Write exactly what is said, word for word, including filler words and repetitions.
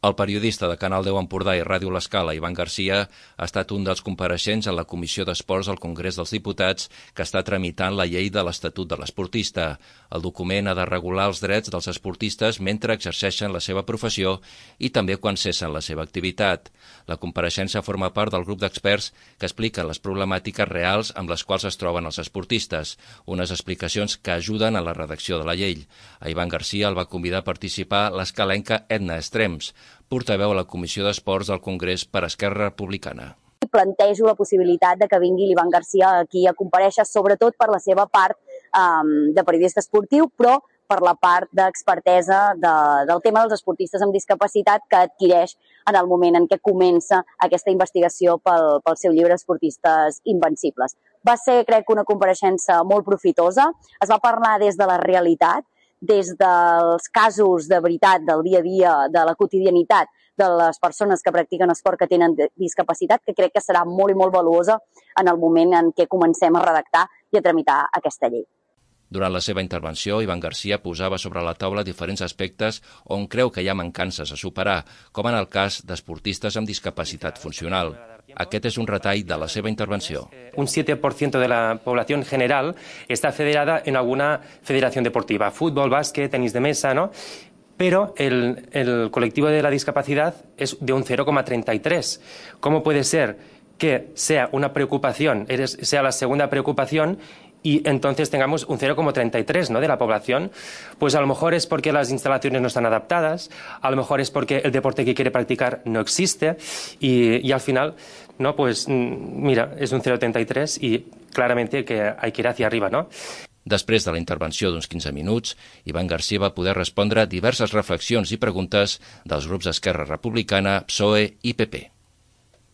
El periodista de Canal deu Empordà i Ràdio L'Escala, Ivan Garcia, ha estat un dels compareixents en la Comissió d'Esports al Congrés dels Diputats que està tramitant la llei de l'Estatut de l'Esportista. El document ha de regular els drets dels esportistes mentre exerceixen la seva professió i també quan cessen la seva activitat. La compareixença forma part del grup d'experts que expliquen les problemàtiques reals amb les quals es troben els esportistes, unes explicacions que ajuden a la redacció de la llei. A Ivan Garcia el va convidar a participar l'escalenca Edna Estrems, portaveu a la Comissió d'Esports del Congrés per Esquerra Republicana. Plantejo la possibilitat de que vingui l'Ivan Garcia aquí a comparèixer, sobretot per la seva part um, de periodista esportiu, però per la part d'expertesa de, del tema dels esportistes amb discapacitat que adquireix en el moment en què comença aquesta investigació pel, pel seu llibre Esportistes Invencibles. Va ser, crec, una compareixença molt profitosa. Es va parlar des de la realitat, des dels casos de veritat del dia a dia, de la quotidianitat de les persones que practiquen esport que tenen discapacitat, que crec que serà molt i molt valuosa en el moment en què comencem a redactar i a tramitar aquesta llei. Durant la seva intervenció, Ivan Garcia posava sobre la taula diferents aspectes on creu que hi ha mancances a superar, com en el cas d'esportistes amb discapacitat funcional. Aquest és un retall de la seva intervenció. Un siete por ciento de la población general está federada en alguna federación deportiva, fútbol, básquet, tenis de mesa, ¿no? Pero el, el colectivo de la discapacidad es de un cero coma treinta y tres. ¿Cómo puede ser que sea una preocupación, sea la segunda preocupación, y entonces tengamos un cero coma treinta y tres, ¿no?, de la población? Pues a lo mejor es porque las instalaciones no están adaptadas, a lo mejor es porque el deporte que quiere practicar no existe y, y al final, no, pues mira, es un cero coma treinta y tres y claramente que hay que ir hacia arriba, ¿no? Després de la intervenció d'uns quinze minuts, Ivan Garcia va poder respondre diverses reflexions i preguntes dels grups d'Esquerra Republicana, P S O E i P P.